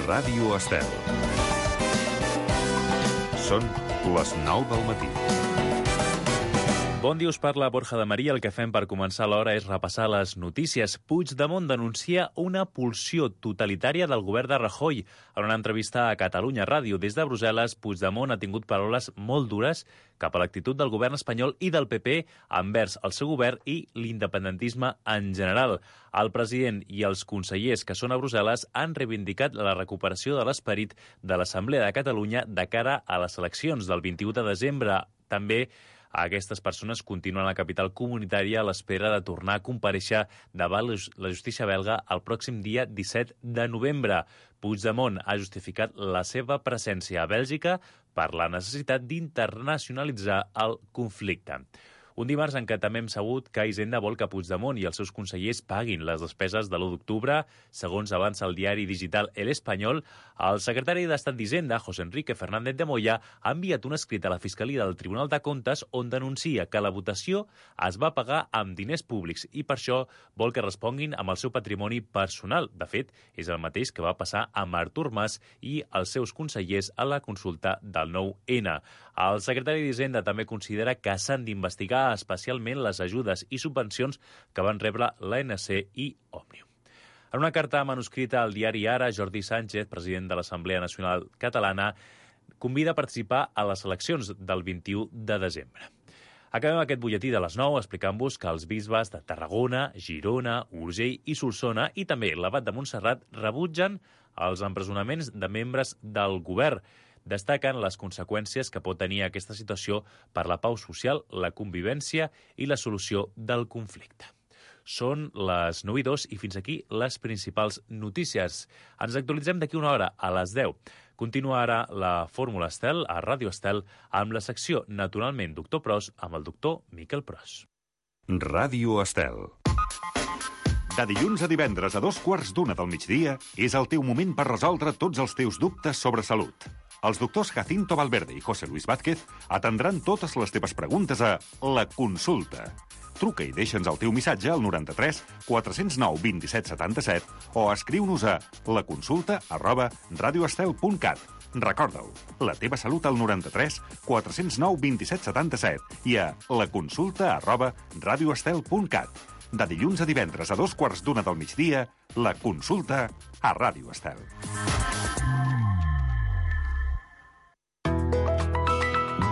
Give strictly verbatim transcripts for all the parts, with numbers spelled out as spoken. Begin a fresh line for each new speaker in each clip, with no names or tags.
Ràdio Estel. Són les nou del matí.
Bon dia, us parla Borja de Maria. El que fem per començar l'hora és repassar les notícies. Puigdemont denuncia una pulsió totalitària del govern de Rajoy. En una entrevista a Catalunya Ràdio des de Brussel·les, Puigdemont ha tingut paraules molt dures cap a l'actitud del govern espanyol i del P P envers el seu govern i l'independentisme en general. El president i els consellers que són a Brussel·les han reivindicat la recuperació de l'esperit de l'Assemblea de Catalunya de cara a les eleccions del vint-i-u de desembre. També aquestes persones continuen a la capital comunitària a l'espera de tornar a comparèixer davant la justícia belga el pròxim dia disset de novembre. Puigdemont ha justificat la seva presència a Bèlgica per la necessitat d'internacionalitzar el conflicte. Un dimarts en què també hem sabut que Hisenda vol que Puigdemont i els seus consellers paguin les despeses de l'u d'octubre. Segons avança el diari digital El Espanyol, el secretari d'Estat d'Hisenda, José Enrique Fernández de Moya, ha enviat un escrit a la Fiscalia del Tribunal de Comptes on denuncia que la votació es va pagar amb diners públics i per això vol que responguin amb el seu patrimoni personal. De fet, és el mateix que va passar amb Artur Mas i els seus consellers a la consulta del nou ene. El secretari d'Hisenda també considera que s'han d'investigar especialment les ajudes i subvencions que van rebre l'A N C i Òmnium. En una carta manuscrita al diari Ara, Jordi Sánchez, president de l'Assemblea Nacional Catalana, convida a participar a les eleccions del vint-i-u de desembre. Acabem aquest butlletí de les nou explicant-vos que els bisbes de Tarragona, Girona, Urgell i Solsona i també l'Abat de Montserrat rebutgen els empresonaments de membres del govern. Destaquen les conseqüències que pot tenir aquesta situació per la pau social, la convivència i la solució del conflicte. Són les nou i dos i fins aquí les principals notícies. Ens actualitzem d'aquí una hora, a les deu. Continua ara la Fórmula Estel a Ràdio Estel amb la secció Naturalment Doctor Pros amb el doctor Miquel Pros.
Ràdio Estel.
De dilluns a divendres a dos quarts d'una del migdia és el teu moment per resoldre tots els teus dubtes sobre salut. Els doctors Jacinto Valverde i José Luis Vázquez atendran totes les teves preguntes a La Consulta. Truca i deixa'ns el teu missatge al noranta-tres quatre zero nou vint set setanta-set o escriu-nos a laconsulta arroba radioestel punt cat. Recorda-ho, la teva salut al noranta-tres quatre zero nou vint set setanta-set i a laconsulta arroba radioestel punt cat. De dilluns a divendres a dos quarts d'una del migdia, La Consulta a Ràdio Estel.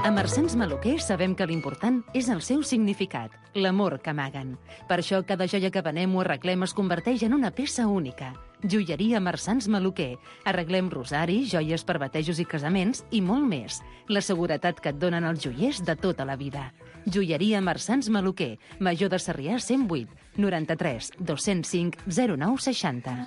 A Marsans Maluquer sabem que l'important és el seu significat, l'amor que amaguen. Per això cada joia que venem o arreglem es converteix en una peça única. Joieria Marsans Maluquer. Arreglem rosaris, joies per batejos i casaments i molt més. La seguretat que et donen els joiers de tota la vida. Joieria Marsans Maluquer. Major de Sarrià cent vuit, noranta-tres dos cents cinc zero nou seixanta.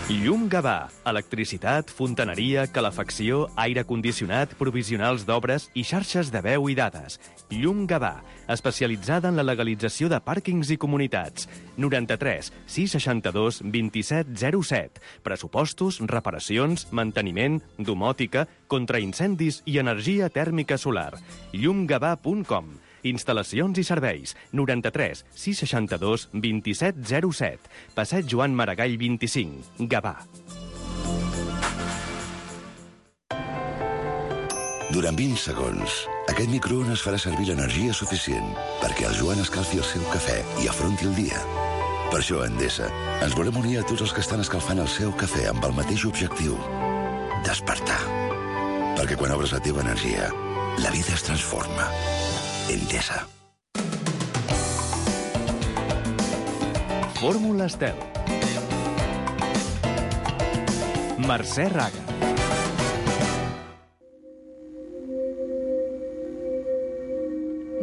Llum Gavà. Electricitat, fontaneria, calefacció, aire condicionat, provisionals d'obres i xarxes de veu i dades. Llum Gavà, especialitzada en la legalització de pàrquings i comunitats. noranta-tres sis seixanta-dos vint-i-set zero set. Pressupostos, reparacions, manteniment, domòtica, contraincendis i energia tèrmica solar. llum gavà punt com. Instal·lacions i serveis. noranta-tres sis seixanta-dos vint-i-set zero set. Passeig Joan Maragall vint-i-cinc. Gavà.
Durant vint segons, aquest microones farà servir l'energia suficient perquè el Joan escalfi el seu cafè i afronti el dia. Per això, a Endesa, ens volem unir a tots els que estan escalfant el seu cafè amb el mateix objectiu: despertar. Perquè quan obres la teva energia, la vida es transforma. Endesa.
Fórmula Estel. Mercè Raga.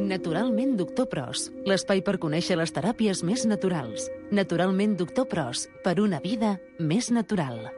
Naturalment Doctor Pros, l'espai per conèixer les teràpies més naturals. Naturalment Doctor Pros, per una vida més natural.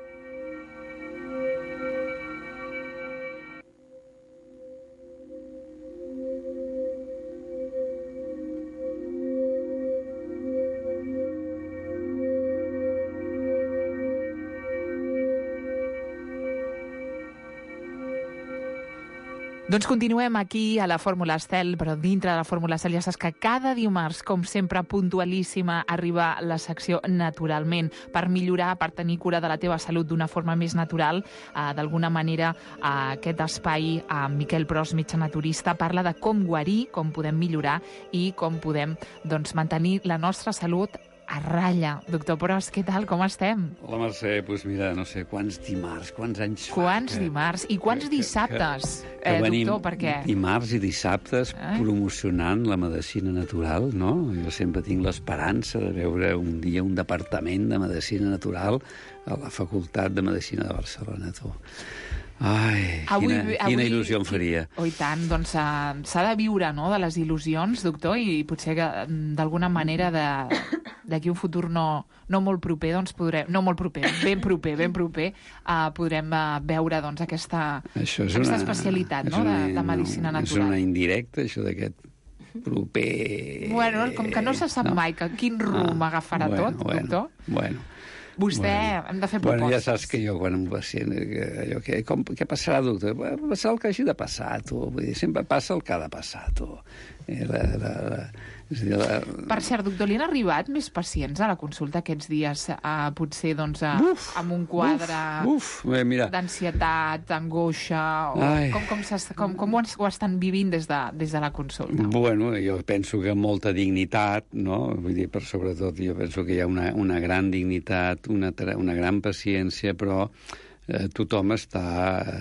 Doncs continuem aquí a la Fórmula Estel, però dintre de la Fórmula Estel ja saps que cada dimarts, com sempre, puntualíssima, arriba la secció Naturalment, per millorar, per tenir cura de la teva salut d'una forma més natural. Eh, D'alguna manera, eh, aquest espai, eh, Miquel Pros, metge naturista, parla de com guarir, com podem millorar i com podem doncs, mantenir la nostra salut a ratlla. Doctor Pros, què tal? Com estem?
Hola, Mercè. Doncs pues mira, no sé, quants dimarts, quants anys fa...
Quants
que,
dimarts i quants
que,
dissabtes,
que, que
eh,
venim
doctor, perquè...
dimarts i dissabtes
eh?
promocionant la medicina natural, no? Jo sempre tinc l'esperança de veure un dia un departament de medicina natural a la Facultat de Medicina de Barcelona, tu. Ai, avui, quina, avui, quina il·lusió em faria.
Oh, i tant, doncs uh, s'ha de viure, no?, de les il·lusions, doctor, i potser que d'alguna manera de, d'aquí un futur no, no molt proper, doncs podrem, no molt proper, ben proper, ben proper, uh, podrem uh, veure doncs aquesta, aquesta una, especialitat, no?, una, de, de medicina
no,
natural.
És una indirecta, això d'aquest proper...
Bueno, com que no se sap no. mai que quin rumb ah, agafarà
bueno,
tot,
bueno,
doctor.
Bueno,
Vostè,
bueno,
hem de fer propostes.
Bueno, ja saps que jo, quan un pacient... Allò, que, com, què passarà, doctor? Passarà el que hagi de passar, tu. Vull dir, sempre passa el que ha de passar, tu. Eh, la, la, la, és a dir, la...
Per cert, doctor, li han arribat més pacients a la consulta aquests dies, a, potser, doncs, a, uf, amb un quadre
uf, uf, mira.
d'ansietat, angoixa, o com, com, com, com ho, ho estan vivint des de, des de la consulta?
Bueno, jo penso que molta dignitat, no? Vull dir, per sobretot, jo penso que hi ha una, una gran dignitat, una, una gran paciència, però eh, tothom està,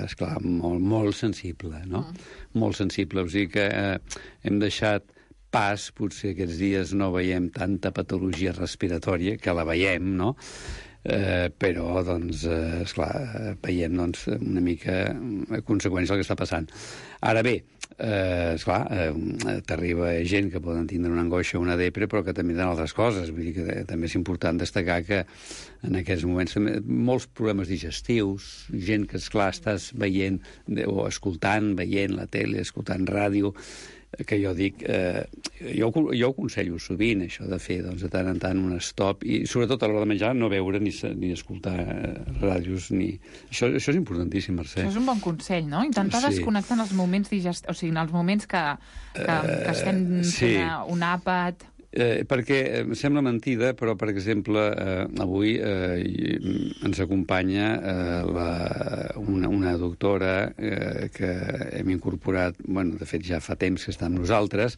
esclar, molt, molt sensible, no? Mm. Molt sensible. O sigui que eh, hem deixat pas, potser aquests dies no veiem tanta patologia respiratòria, que la veiem, no? Eh, però, doncs, eh, esclar, veiem doncs, una mica a conseqüència del que està passant. Ara bé, eh, esclar, eh, t'arriba gent que poden tindre una angoixa o una depre, però que també tenen altres coses. Vull dir que també és important destacar que en aquests moments també, molts problemes digestius, gent que, esclar, estàs veient o escoltant, veient la tele, escoltant ràdio, que jo dic, eh, jo, jo ho aconsello sovint, això de fer doncs, de tant en tant un stop, i sobretot a l'hora de menjar no veure ni, ni escoltar eh, ràdios, ni... Això, això és importantíssim, Mercè.
Això és un bon consell, no? Intentar sí. desconnectar en els moments digest... o sigui, en els moments que, que, que estem fent sí. un àpat...
Eh, perquè em sembla mentida, però, per exemple, eh, avui eh, ens acompanya eh, la, una, una doctora eh, que hem incorporat, bueno, de fet ja fa temps que està amb nosaltres,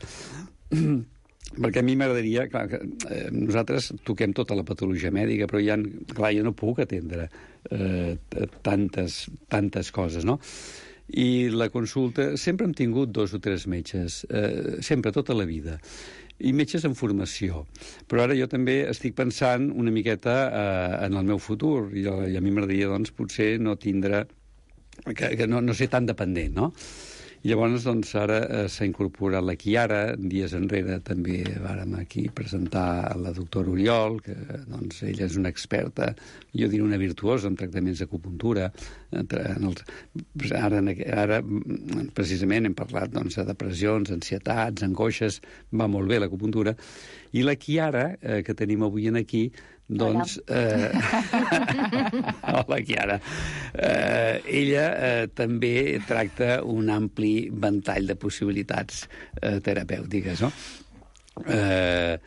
perquè a mi m'agradaria, clar, que eh, nosaltres toquem tota la patologia mèdica, però ja, clar, jo no puc atendre eh, tantes, tantes coses, no? I la consulta, sempre hem tingut dos o tres metges, eh, sempre, tota la vida, i metges en formació. Però ara jo també estic pensant una miqueta eh, en el meu futur, i, i a mi m'agradaria, doncs, potser no tindre... que, que no, no ser tan dependent, no? I llavors, doncs, ara eh, s'ha incorporat la Chiara. Dies enrere també vàrem aquí presentar la doctora Oriol, que, doncs, ella és una experta, jo diria una virtuosa en tractaments d'acupuntura. En els... ara, ara, precisament, hem parlat, doncs, de depressions, ansietats, angoixes, va molt bé l'acupuntura. I la Chiara, eh, que tenim avui aquí, doncs... Eh... Hola, Chiara. Eh, ella eh, també tracta un ampli ventall de possibilitats eh, terapèutiques, no? Eh...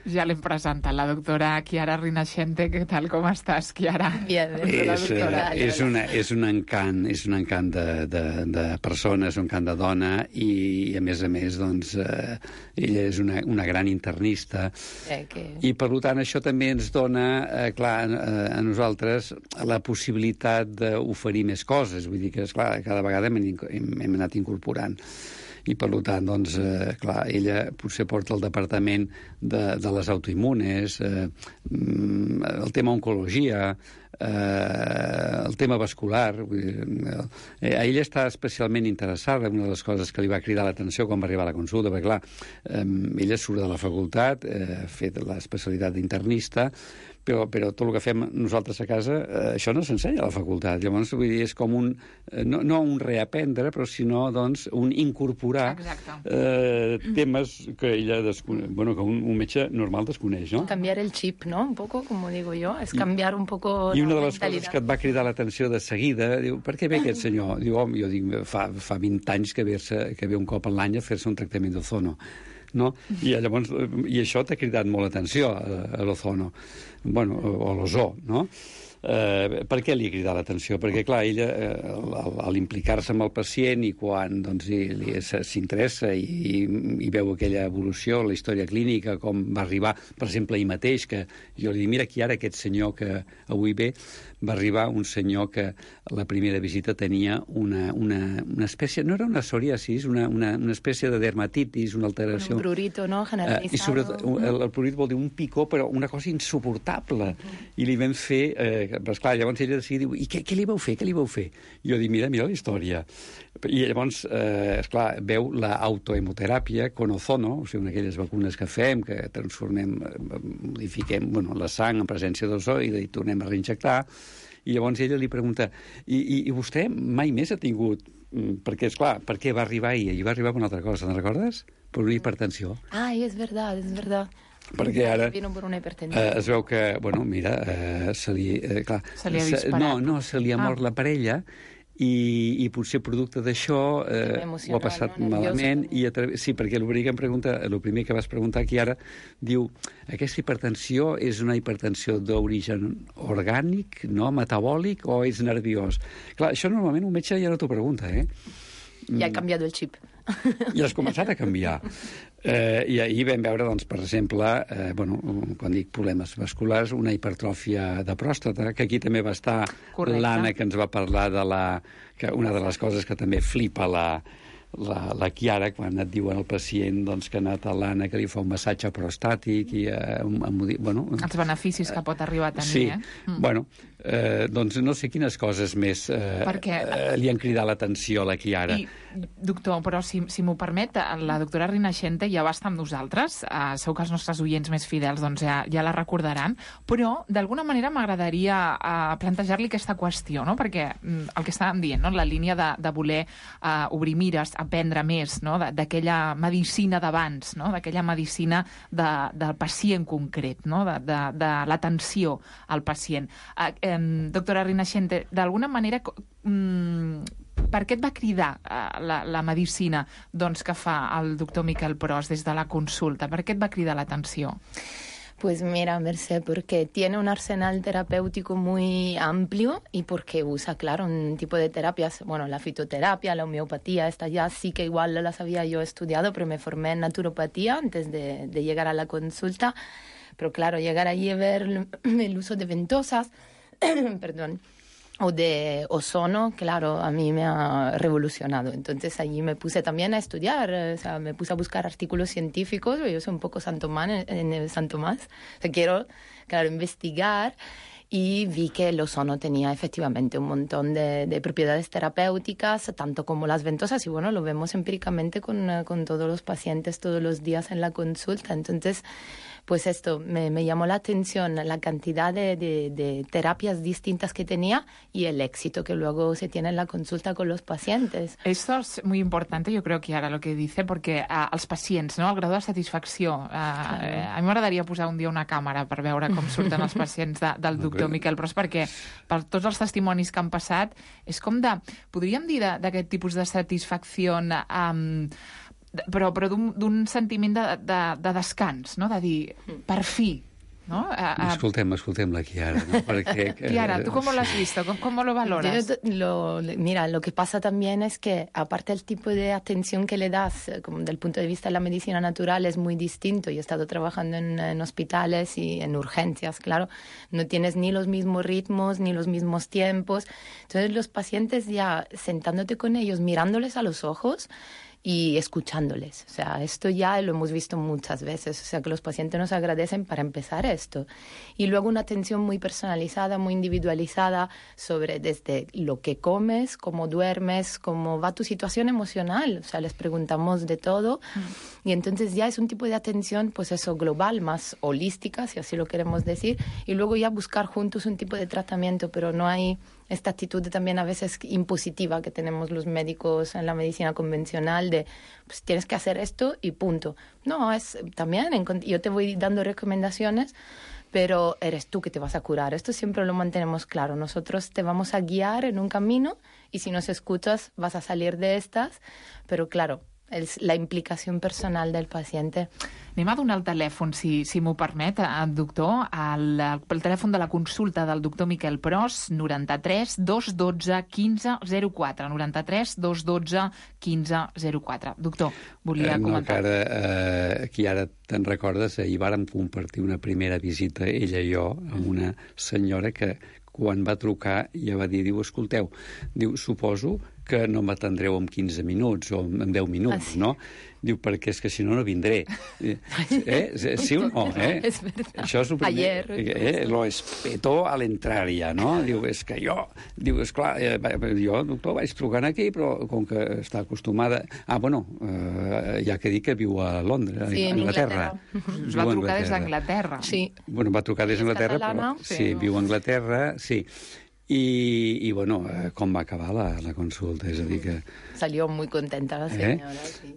Ja l'hem presentat, la doctora Chiara Rinascente. Què tal, com estàs, Chiara?
Bien,
bien. És, és, una, és un encant, és un encant de, de, de persona, és un encant de dona, i, i a més a més, doncs, eh, ella és una, una gran internista,
eh, que...
i per tant això també ens dona, eh, clar, a, a nosaltres la possibilitat d'oferir més coses. Vull dir que, esclar, cada vegada hem, hem, hem anat incorporant. I, per tant, doncs, eh, clar, ella potser porta el departament de, de les autoimmunes, eh, el tema oncologia, eh, el tema vascular. Vull dir, eh, ella està especialment interessada, una de les coses que li va cridar l'atenció quan va arribar a la consulta, perquè, clar, eh, ella surt de la facultat, eh, ha fet l'especialitat d'internista, però, però tot el que fem nosaltres a casa, eh, això no s'ensenya a la facultat. Llavors, vull dir, és com un, eh, no, no un reaprendre, però sinó, doncs, un incorporar eh, temes que ella desconeix, bueno, que un, un metge normal desconeix, no?
Cambiar el chip, ¿no? Un poco, como digo yo, es cambiar un poco
I una
la
de les
mentalidad.
coses que et va cridar l'atenció de seguida, diu, per què ve aquest senyor? Diu, home, jo dic, fa, fa vint anys que ve, que ve un cop a l'any a fer-se un tractament d'ozono. No? I llavors, i això t'ha cridat molt l'atenció a, a l'ozono, bueno, o a l'ozó, no? Eh, per què li ha cridat l'atenció? Perquè, clar, ella, eh, a l'implicar-se amb el pacient i quan doncs, s'interessa i, i, i veu aquella evolució, la història clínica, com va arribar, per exemple, ahir mateix, que jo li dic, mira, aquí ara aquest senyor que avui ve, va arribar un senyor que la primera visita tenia una, una, una espècie, no era una psoriasis, una, una, una espècie de dermatitis, una alteració...
Un prurito, no?, generalitzado.
Eh, I sobretot, el, el prurit vol dir un picó, però una cosa insuportable. Uh-huh. I li vam fer... Eh, però esclar, llavors ella decidia, diu, i què, què li vau fer, què li vau fer? I jo dic, mira, mira la història. I llavors, eh, esclar, veu l'autohemoteràpia con ozono, o sigui, una d'aquelles vacunes que fem, que transformem, modifiquem, bueno, la sang en presència d'ozó i hi tornem a reinjectar. I llavors ella li pregunta, i, i, i vostè mai més ha tingut... Perquè, esclar, per què va arribar ahir? Ahir va arribar per una altra cosa, no recordes? Per una hipertensió.
Ai, és verdad, és verdad.
Perquè ara
Vino por una hipertensió.
eh, es veu que, bueno, mira, eh, se li... Eh, clar,
Se li ha
se,
disparat.
no, no, se li ha mort
Ah.
la parella i, i potser producte d'això eh, ho ha passat
no?
malament.
Nerviosa,
I a través, sí, perquè el primer que em pregunta, el primer que vas preguntar aquí ara, diu, aquesta hipertensió és una hipertensió d'origen orgànic, no, metabòlic, o és nerviós? Clar, això normalment un metge ja no t'ho pregunta, eh?
Ja ha canviat el xip.
I has començat a canviar. Eh, I ahir vam veure, doncs, per exemple, eh, bueno, quan dic problemes vasculars, una hipertròfia de pròstata, que aquí també va estar l'Anna, que ens va parlar de la... que una de les coses que també flipa la, la, la Chiara, quan et diuen al pacient doncs, que ha anat a l'Anna, que li fa un massatge prostàtic i... Eh, un, un, bueno,
Els beneficis que pot arribar a tenir,
sí,
eh? Mm.
bueno, eh, doncs no sé quines coses més eh,
Perquè...
eh, li han cridat l'atenció a la Chiara.
I, doctor, però si, si m'ho permet, la doctora Rinascente ja va estar amb nosaltres, uh, segur que els nostres oients més fidels doncs, ja, ja la recordaran, però d'alguna manera m'agradaria uh, plantejar-li aquesta qüestió, no? Perquè mm, el que estàvem dient, no? La línia de, de voler uh, obrir mires, aprendre més, no? d'aquella medicina d'abans, no? D'aquella medicina de, del pacient concret, no? de, de, de l'atenció al pacient. Uh, eh, doctora Rinascente, d'alguna manera... Mm, per què et va cridar uh, la, la medicina doncs, que fa el doctor Miquel Pros des de la consulta? Per què et va cridar l'atenció?
Pues mira, Mercè, porque tiene un arsenal terapéutico muy amplio y porque usa, claro, un tipo de terapias, bueno, la fitoterapia, la homeopatía, esta ya sí que igual las había yo estudiado, pero me formé en naturopatía antes de, de llegar a la consulta. Pero claro, llegar allí y ver el uso de ventosas, perdón, o de ozono, claro, a mí me ha revolucionado. Entonces allí me puse también a estudiar, o sea, me puse a buscar artículos científicos, yo soy un poco San Tomás, en el San Tomás, o sea, quiero, claro, investigar, y vi que el ozono tenía efectivamente un montón de, de propiedades terapéuticas, tanto como las ventosas, y bueno, lo vemos empíricamente con, con todos los pacientes todos los días en la consulta. Entonces, pues esto me, me llamó la atención, la cantidad de, de, de terapias distintas que tenía y el éxito que luego se tiene en la consulta con los pacientes.
Esto es muy importante, yo creo que ara lo que dice, perquè uh, els pacients, no? El grau de satisfacció. Uh, claro. eh, a mi m'agradaria posar un dia una càmera per veure com surten els pacients de, del doctor Miquel Pros, perquè per tots els testimonis que han passat, és com de, podríem dir d'aquest tipus de satisfacció... Um, però, però d'un sentiment de, de, de descans, no? De dir, per fi, ¿no? A, a...
Escoltem, escoltem la Chiara, ¿no? Porque,
Chiara, ¿tú cómo lo has visto? ¿Cómo, cómo lo valoras?
Yo, lo, mira, lo que pasa también es que, aparte del tipo de atención que le das, como del punto de vista de la medicina natural, es muy distinto. Yo he estado trabajando en, en hospitales y en urgencias, claro. No tienes ni los mismos ritmos, ni los mismos tiempos. Entonces, los pacientes ya sentándote con ellos, mirándoles a los ojos, y escuchándoles. O sea, esto ya lo hemos visto muchas veces. O sea, que los pacientes nos agradecen para empezar esto. Y luego una atención muy personalizada, muy individualizada sobre desde lo que comes, cómo duermes, cómo va tu situación emocional. O sea, les preguntamos de todo. Mm. Y entonces ya es un tipo de atención, pues eso, global, más holística, si así lo queremos decir. Y luego ya buscar juntos un tipo de tratamiento, pero no hay esta actitud también a veces impositiva que tenemos los médicos en la medicina convencional de pues tienes que hacer esto y punto. No, es también, yo te voy dando recomendaciones, pero eres tú que te vas a curar. Esto siempre lo mantenemos claro. Nosotros te vamos a guiar en un camino y si nos escuchas vas a salir de estas, pero claro, és la implicació personal del pacient.
Anem a donar el telèfon, si, si m'ho permet, doctor. El, el telèfon de la consulta del doctor Miquel Pros, noranta-tres dos dotze quinze zero quatre. noranta-tres dos dotze quinze zero quatre. Doctor, volia
eh, no,
comentar.
No, que ara, eh, aquí ara te'n recordes, ahir vàrem compartir una primera visita, ella i jo, amb una senyora que quan va trucar ja va dir, diu, escolteu, diu, suposo que no m'atendreu en quinze minuts o en deu minuts, ah, sí? No? Diu, perquè és que si no, no vindré. Eh? Sí o no? Eh?
És veritat.
Això és el primer.
Ayer.
Eh? Lo espetó a l'entrar ja, no? Diu, és que jo... Diu, esclar, eh, jo, doctor, vaig trucant aquí, però com que està acostumada... Ah, bueno, eh, ja que dic que viu a Londres,
sí,
a Anglaterra.
Us va trucar des d'Anglaterra.
Sí.
Bueno, va trucar des d'Anglaterra, però... Sí, viu a Anglaterra, sí. I, i bueno, eh, com va acabar la, la consulta? És a dir que...
Salió muy contenta la senyora, eh? Sí.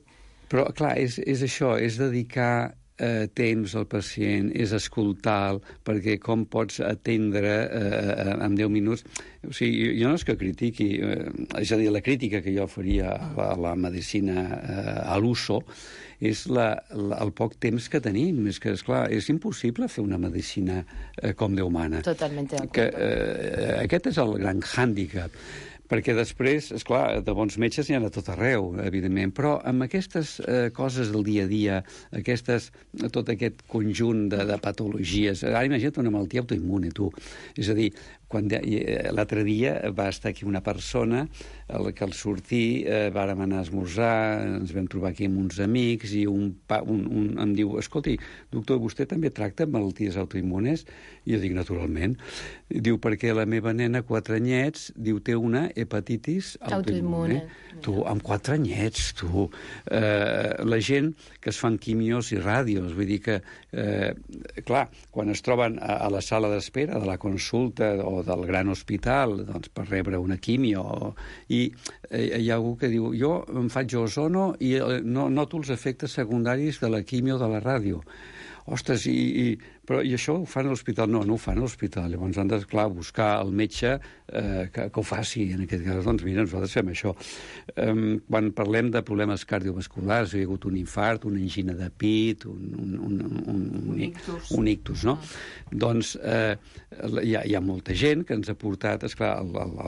Però, clar, és, és això, és dedicar eh, temps al pacient, és escoltar-lo, perquè com pots atendre eh, en deu minuts... O sigui, jo no és que critiqui, eh, és a dir, la crítica que jo faria a la, a la medicina eh, a l'uso és la, la, el poc temps que tenim. És que, esclar, és impossible fer una medicina eh, com Déu mana.
Totalment d'acord.
Que, eh, aquest és el gran hàndicap. Perquè després, esclar, de bons metges n'hi ha a tot arreu, evidentment, però amb aquestes eh, coses del dia a dia, aquestes, tot aquest conjunt de, de patologies... Ara imagina't una malaltia autoimmune, tu. És a dir, quan l'altre dia va estar aquí una persona el que al sortir eh, vàrem anar a esmorzar, ens vam trobar aquí amb uns amics i un, pa, un, un em diu, escolti, doctor, vostè també tracta malalties autoimmunes? I jo dic, naturalment. Diu, perquè la meva nena, quatre anyets, diu, té una hepatitis autoimmune. autoimmune. Tu, amb quatre anyets, tu. Eh, la gent que es fan quimios i ràdios, vull dir que, eh, clar, quan es troben a, a la sala d'espera de la consulta o del gran hospital, doncs, per rebre una quimio, i eh, hi ha algú que diu, jo em faig ozono i eh, no noto els efectes secundaris de la quimio de la ràdio. Ostres, i, i, però, i això ho fan a l'hospital? No, no ho fan a l'hospital. Llavors han de, clar, buscar el metge eh, que, que ho faci. En aquest cas, doncs, mira, nosaltres fem això. Um, quan parlem de problemes cardiovasculars, hi ha hagut un infart, una angina de pit, un, un, un, un, un, ictus. un ictus, no? Mm. Doncs eh, hi, ha, hi ha molta gent que ens ha portat, esclar,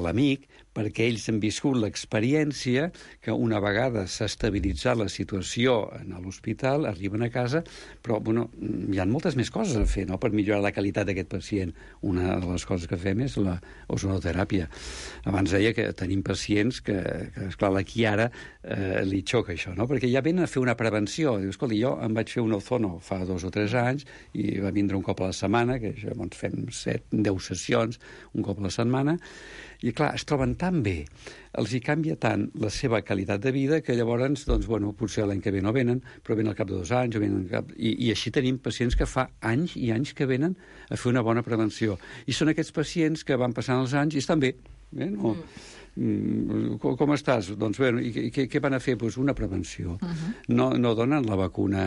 l'amic, perquè ells han viscut l'experiència que una vegada s'ha estabilitzat la situació en l'hospital, arriben a casa, però, bueno, hi ha moltes més coses a fer, no?, per millorar la qualitat d'aquest pacient. Una de les coses que fem és la ozonoteràpia. Abans deia que tenim pacients que, que esclar, aquí ara eh, li xoca això, no?, perquè ja venen a fer una prevenció. Diu, escolta, jo em vaig fer un ozono fa dos o tres anys i va vindre un cop a la setmana, que això, doncs, fem set, deu sessions, un cop a la setmana, i clar, es troben tan bé, els hi canvia tant la seva qualitat de vida que llavors, doncs, bueno, potser l'any que ve no venen, però venen al cap de dos anys, o venen al cap... I, i així tenim pacients que fa anys i anys que venen a fer una bona prevenció. I són aquests pacients que van passant els anys i estan bé. Eh? No... Mm. Com, com estàs? Doncs bé, i què, què van a fer? Pues una prevenció. Uh-huh. No, no donen la vacuna,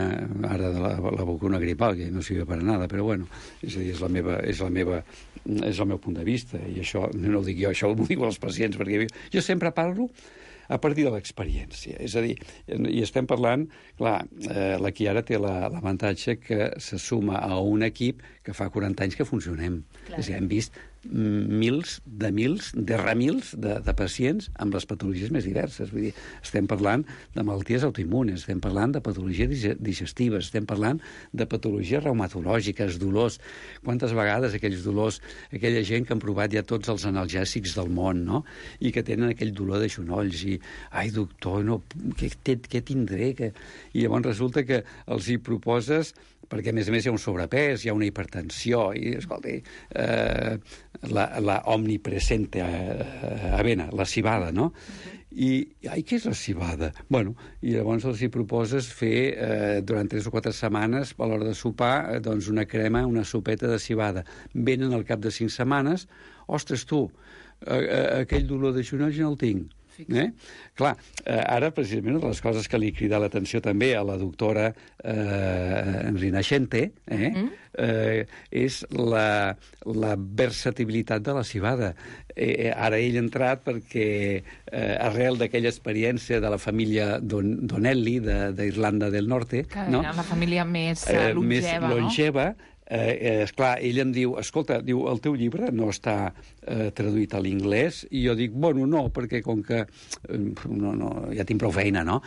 ara de la, la vacuna gripal, que no sirve per a nada, però bueno, és a dir, és la meva, és la meva, és el meu punt de vista, i això no ho dic jo, això ho dic als pacients, perquè jo sempre parlo a partir de l'experiència. És a dir, i estem parlant, clar, eh, la Chiara té l'avantatge que se suma a un equip que fa quaranta anys que funcionem. Clar. És a dir, hem vist mils de mils, de remils de, de pacients amb les patologies més diverses. Vull dir, estem parlant de malalties autoimmunes, estem parlant de patologies digestives, estem parlant de patologies reumatològiques, dolors. Quantes vegades aquells dolors, aquella gent que han provat ja tots els analgèsics del món, no? I que tenen aquell dolor de genolls i, ai, doctor, no, què, què tindré? Que... I llavors resulta que els hi proposes, perquè a més a més hi ha un sobrepès, hi ha una hipertensió, i, escolta, eh, la, la omnipresente eh, avena, la civada, no? I, ai, què és la civada? Bueno, i llavors els hi proposes fer, eh, durant tres o quatre setmanes, a l'hora de sopar, eh, doncs una crema, una sopeta de civada. Venen al cap de cinc setmanes, ostres, tu, eh, eh, aquell dolor de genolls no el tinc. Eh? Clar, eh, ara precisament una de les coses que li crida l'atenció també a la doctora eh, Rinascente eh, mm. eh, és la, la versatilitat de la civada. Eh, ara ell ha entrat perquè eh, arrel d'aquella experiència de la família Don, Donnelly d'Irlanda del Norte,
que
no?
Era la família més eh, longeva,
més longeva
no?
Eh, esclar, ell em diu, escolta, diu, el teu llibre no està eh, traduït a l'inglès, i jo dic, bueno, no, perquè com que eh, no, no, ja tinc prou feina, no?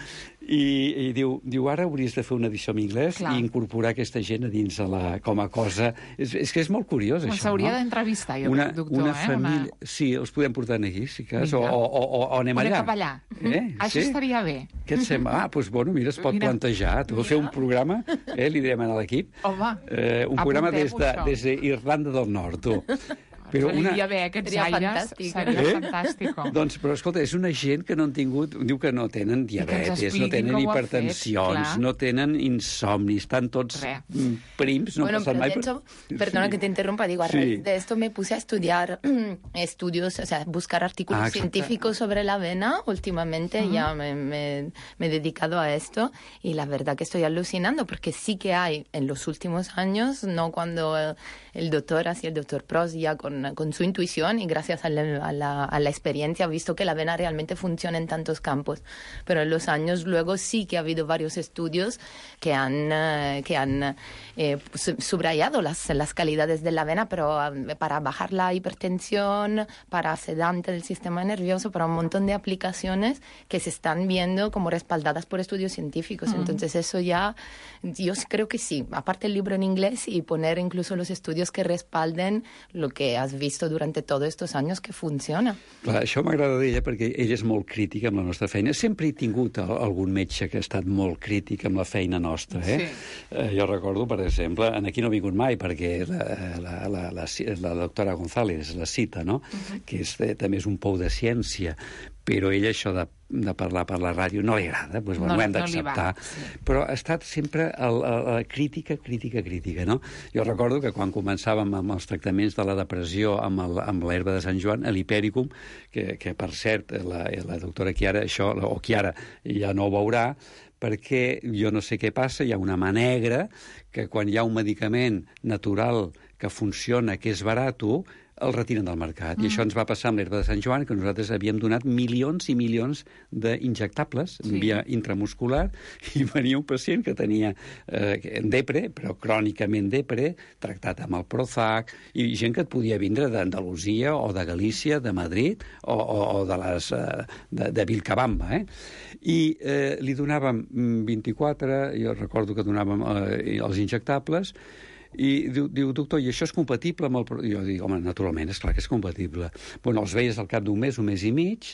I, i diu, diu, ara hauries de fer una edició en anglès Clar. I incorporar aquesta gent a dins a la, com a cosa... És, és que és molt curiós,
això,
no?
S'hauria d'entrevistar, jo
una,
crec, doctor,
una
eh?
Família...
Una...
Sí, els podem portar aquí, si cas, o, o, o, o anem
Una
allà.
cap allà.
Eh?
Això
sí?
estaria bé.
Què et sembla? Ah, doncs, bueno, mira, es pot mira. plantejar. Tu vas fer un programa, eh, li direm a l'equip.
Home,
eh, un programa des de, des d'Irlanda del Nord, tu.
Però una... haver aquests
seria
aires
fantàstic.
seria
eh?
fantàstico.
Doncs, però escolta, és una gent que no han tingut... Diu que no tenen diabetes, no tenen hipertensions, no tenen insomnis, estan tots Re. prims. No
bueno, pero
mai
de hecho, perdona sí. que te interrumpa, digo, a
sí.
raíz de esto me puse a estudiar estudios, o sea, buscar artículos ah, científicos sobre la avena. Últimamente uh-huh. ya me, me, me he dedicado a esto y la verdad que estoy alucinando porque sí que hay en los últimos años, no cuando el, el doctor, así el doctor Prost ya con con su intuición y gracias a la, a, la, a la experiencia ha visto que la avena realmente funciona en tantos campos. Pero en los años luego sí que ha habido varios estudios que han, uh, que han eh, subrayado las, las calidades de la avena, pero uh, para bajar la hipertensión, para sedante del sistema nervioso, para un montón de aplicaciones que se están viendo como respaldadas por estudios científicos. Mm. Entonces eso ya, yo creo que sí, aparte el libro en inglés y poner incluso los estudios que respalden lo que has visto durante todos estos años que funciona.
Clar, això m'agrada d'ella perquè ella és molt crítica amb la nostra feina. Sempre he tingut algun metge que ha estat molt crític amb la feina nostra. Eh? Sí. Eh, jo recordo, per exemple, en aquí no he vingut mai perquè la, la, la, la, la doctora González la cita, no? Uh-huh. Que és, eh, també és un pou de ciència, però ella això de, de parlar per la ràdio no li agrada, doncs bueno, no, ho hem d'acceptar. No sí. Però ha estat sempre a la crítica, crítica, crítica, no? Jo recordo que quan començàvem amb els tractaments de la depressió amb, el, amb l'herba de Sant Joan, l'Hipericum, que, que per cert, la, la doctora Chiara, això, o Chiara, ja no ho veurà, perquè jo no sé què passa, hi ha una mà negra que quan hi ha un medicament natural que funciona, que és barat, el retiren del mercat. Mm. I això ens va passar amb l'herba de Sant Joan, que nosaltres havíem donat milions i milions d'injectables sí. via intramuscular, i venia un pacient que tenia eh, depre, però crònicament depre, tractat amb el Prozac, i gent que et podia vindre d'Andalusia o de Galícia, de Madrid, o, o, o de, les, eh, de, de Vilcabamba. Eh? I eh, li donàvem vint-i-quatre, jo recordo que donàvem eh, els injectables, i diu, diu, doctor, i això és compatible amb el... Jo dic, home, naturalment, és clar que és compatible. Bueno, els veies al cap d'un mes, un mes i mig,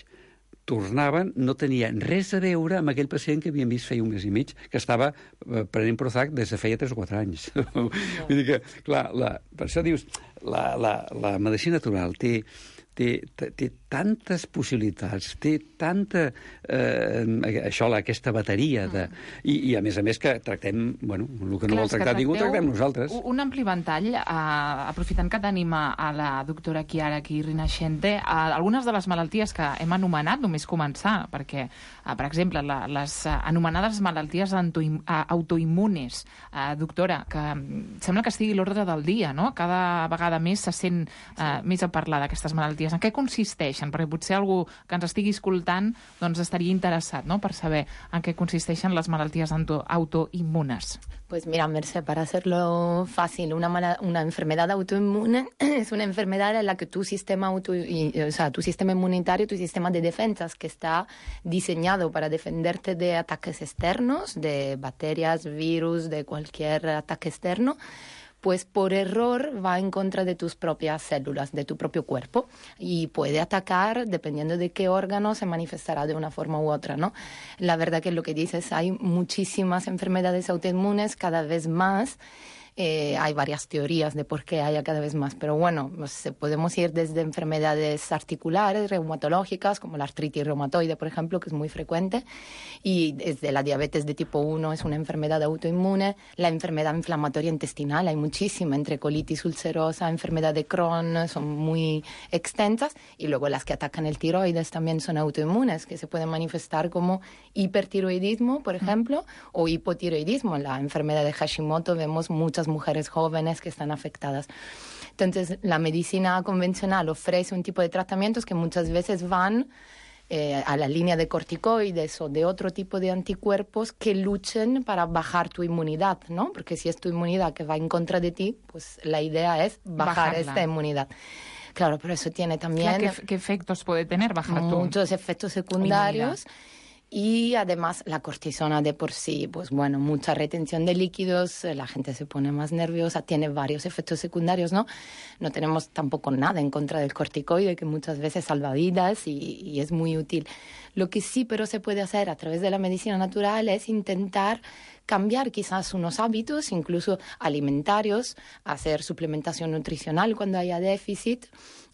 tornaven, no tenien res a veure amb aquell pacient que havien vist feia un mes i mig, que estava prenent Prozac des de feia tres o quatre anys. No. Vull dir que, clar, la, per això dius, la, la, la medicina natural té... Té, té tantes possibilitats, té tanta... Eh, això, aquesta bateria de... I, I, a més a més, que tractem... Bueno, el que no Clar, vol tractar ningú, tractem nosaltres.
Un ampli ventall, eh, aprofitant que tenim a la doctora Chiara aquí, Rinascente, eh, algunes de les malalties que hem anomenat, només començar, perquè, eh, per exemple, la, les anomenades malalties autoimmunes, eh, doctora, que sembla que estigui l'ordre del dia, no? Cada vegada més se sent eh, més a parlar d'aquestes malalties malalties. En què consisteixen? Perquè potser algú que ens estigui escoltant doncs estaria interessat, no?, per saber en què consisteixen les malalties autoinmunes.
Pues mira, Mercè, para hacerlo fácil, una, mala, una enfermedad autoinmune es una enfermedad en la que tu sistema, auto, o sea, tu sistema inmunitario, tu sistema de defensas, que está diseñado para defenderte de ataques externos, de bacterias, virus, de cualquier ataque externo, pues por error va en contra de tus propias células, de tu propio cuerpo, y puede atacar, dependiendo de qué órgano, se manifestará de una forma u otra, ¿no? La verdad que lo que dices, hay muchísimas enfermedades autoinmunes, cada vez más. Eh, hay varias teorías de por qué haya cada vez más, pero bueno, pues, podemos ir desde enfermedades articulares, reumatológicas, como la artritis reumatoide, por ejemplo, que es muy frecuente, y desde la diabetes de tipo uno es una enfermedad autoinmune, la enfermedad inflamatoria intestinal, hay muchísima, entre colitis ulcerosa, enfermedad de Crohn, son muy extensas, y luego las que atacan el tiroides también son autoinmunes, que se pueden manifestar como hipertiroidismo, por ejemplo, o hipotiroidismo. En la enfermedad de Hashimoto vemos muchas mujeres jóvenes que están afectadas. Entonces, la medicina convencional ofrece un tipo de tratamientos que muchas veces van eh, a la línea de corticoides o de otro tipo de anticuerpos que luchen para bajar tu inmunidad, ¿no? Porque si es tu inmunidad que va en contra de ti, pues la idea es bajar Bajarla. esta inmunidad. Claro, pero eso tiene también...
Claro, ¿qué, ¿Qué efectos puede tener bajar tu
Muchos efectos secundarios. Inmunidad. Y además la cortisona de por sí, pues bueno, mucha retención de líquidos, la gente se pone más nerviosa, tiene varios efectos secundarios, ¿no? No tenemos tampoco nada en contra del corticoide, que muchas veces salva vidas y, y es muy útil. Lo que sí, pero se puede hacer a través de la medicina natural es intentar cambiar quizás unos hábitos, incluso alimentarios, hacer suplementación nutricional cuando haya déficit,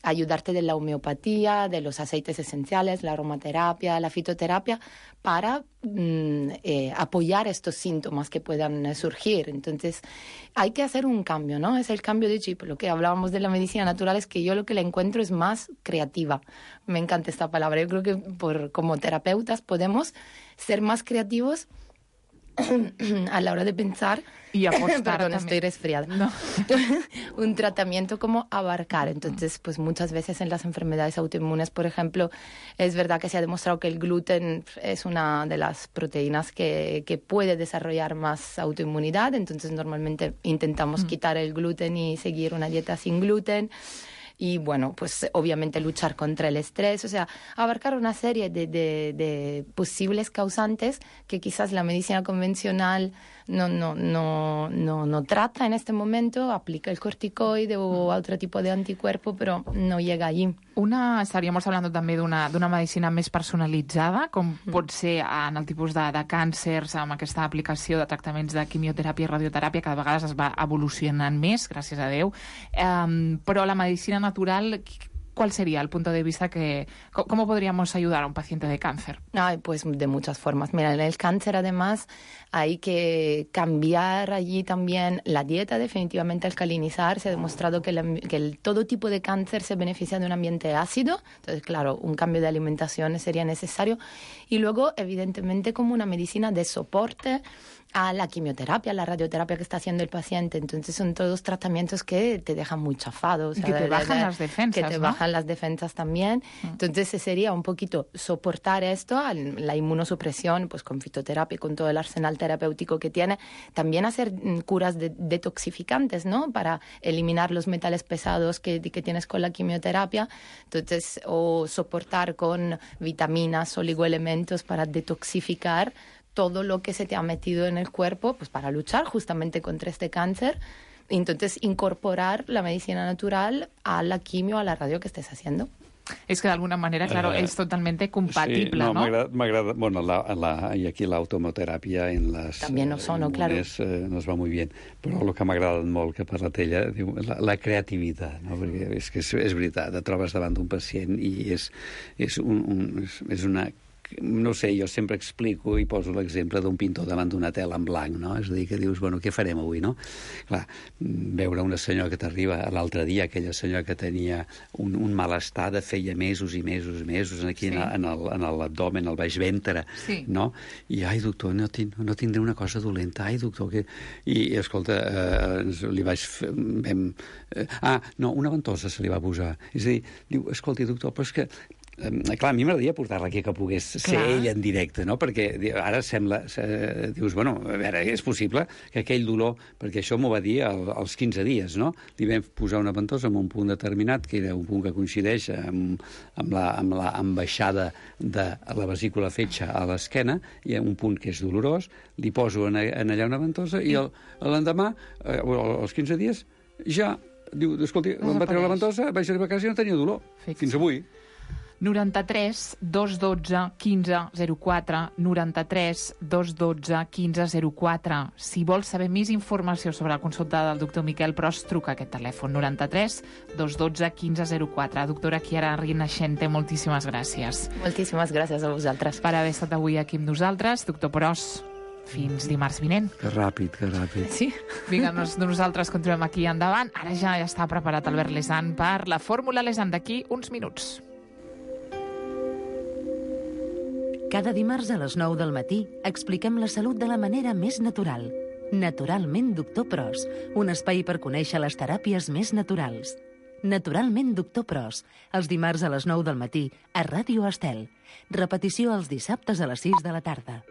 ayudarte de la homeopatía, de los aceites esenciales, la aromaterapia, la fitoterapia, para mm, eh, apoyar estos síntomas que puedan eh, surgir. Entonces, hay que hacer un cambio, ¿no? Es el cambio de chip. Lo que hablábamos de la medicina natural es que yo lo que la encuentro es más creativa. Me encanta esta palabra. Yo creo que por, como terapeutas podemos ser más creativos a la hora de pensar
y apostar.
Perdón, estoy resfriada.
No.
Un tratamiento como abarcar. Entonces, pues muchas veces en las enfermedades autoinmunes, por ejemplo, es verdad que se ha demostrado que el gluten es una de las proteínas que, que puede desarrollar más autoinmunidad. Entonces, normalmente intentamos mm. quitar el gluten y seguir una dieta sin gluten. Y bueno, pues obviamente luchar contra el estrés, o sea, abarcar una serie de, de, de posibles causantes que quizás la medicina convencional no, no, no, no, no trata en este momento, aplica el corticoide o otro tipo de anticuerpo, però no llega allí.
Una, estaríem parlant també d'una d'una medicina més personalitzada, com pot ser en el tipus de, de càncers, amb aquesta aplicació de tractaments de quimioteràpia i radioteràpia, que de vegades es va evolucionant més, gràcies a Déu. Um, però la medicina natural, ¿cuál sería el punto de vista que... ¿Cómo podríamos ayudar a un paciente de cáncer?
Ay, pues de muchas formas. Mira, en el cáncer además hay que cambiar allí también la dieta, definitivamente alcalinizar. Se ha demostrado que, la, que el, todo tipo de cáncer se beneficia de un ambiente ácido. Entonces, claro, un cambio de alimentación sería necesario. Y luego, evidentemente, como una medicina de soporte a la quimioterapia, a la radioterapia que está haciendo el paciente. Entonces son todos tratamientos que te dejan muy chafado. O sea,
que te
de,
bajan
de,
las defensas,
Que te
¿no?
bajan las defensas también. Mm. Entonces sería un poquito soportar esto, la inmunosupresión, pues con fitoterapia, con todo el arsenal terapéutico que tiene. También hacer curas de, detoxificantes, ¿no? Para eliminar los metales pesados que, que tienes con la quimioterapia. Entonces, o soportar con vitaminas, oligoelementos para detoxificar todo lo que se te ha metido en el cuerpo, pues para luchar justamente contra este cáncer. Entonces, incorporar la medicina natural a la quimio, a la radio que estés haciendo.
Es que de alguna manera, claro, uh, es totalmente compatible,
sí, no,
¿no?
M'agrada, bueno, la, la, y aquí la automoterapia en las
También no sono,
inmunes,
claro.
eh, nos va muy bien, però el que m'ha agradat molt que ha parlat ella, diu, la, la creativitat, no? Perquè és que és, és veritat, et trobes davant d'un pacient i és, és, un, un, és, és una no sé, jo sempre explico i poso l'exemple d'un pintor davant d'una tela en blanc, no? És a dir, que dius, bueno, què farem avui, no? Clar, veure una senyora que t'arriba l'altre dia, aquella senyora que tenia un, un malestar de feia mesos i mesos i mesos aquí sí. en l'abdomen, al baix ventre, sí. no? I, ai, doctor, no, tin, no tindré una cosa dolenta, ai, doctor, que... I, i escolta, eh, li vaig fer... Vam, eh, ah, no, una ventosa se li va posar. És a dir, diu, escolti, doctor, però és que Eh, clar, a mi m'agradaria portar-la aquí que pogués ser clar. ell en directe, no? Perquè ara sembla... Eh, dius, bueno, a veure, és possible que aquell dolor... Perquè això m'ho va dir al, als quinze dies, no? Li vam posar una ventosa en un punt determinat, que era un punt que coincideix amb, amb, la, amb la ambaixada de la vesícula fetge a l'esquena, i un punt que és dolorós, li poso en, en allà una ventosa, i l'endemà, eh, als quinze dies, ja... Diu, escolti, em va treure la ventosa, vaig arribar a casa i no tenia dolor. Fix. Fins avui.
noranta-tres dos dotze quinze zero quatre, noranta-tres dos dotze quinze zero quatre. Si vols saber més informació sobre la consulta del doctor Miquel Pros, truca a aquest telèfon, noranta-tres dos dotze quinze zero quatre. Doctora Chiara Rinascente, moltíssimes gràcies.
Moltíssimes gràcies a vosaltres.
Per haver estat avui aquí amb nosaltres. Doctor Pros, fins dimarts vinent.
Que ràpid, que ràpid.
Sí.
Vinga, nos, nosaltres continuem aquí endavant. Ara ja està preparat Albert Lesan per la Fórmula Lesan d'aquí uns minuts.
Cada dimarts a les nou del matí expliquem la salut de la manera més natural. Naturalment Doctor Pros, un espai per conèixer les teràpies més naturals. Naturalment Doctor Pros, els dimarts a les nou del matí a Ràdio Estel. Repetició els dissabtes a les sis de la tarda.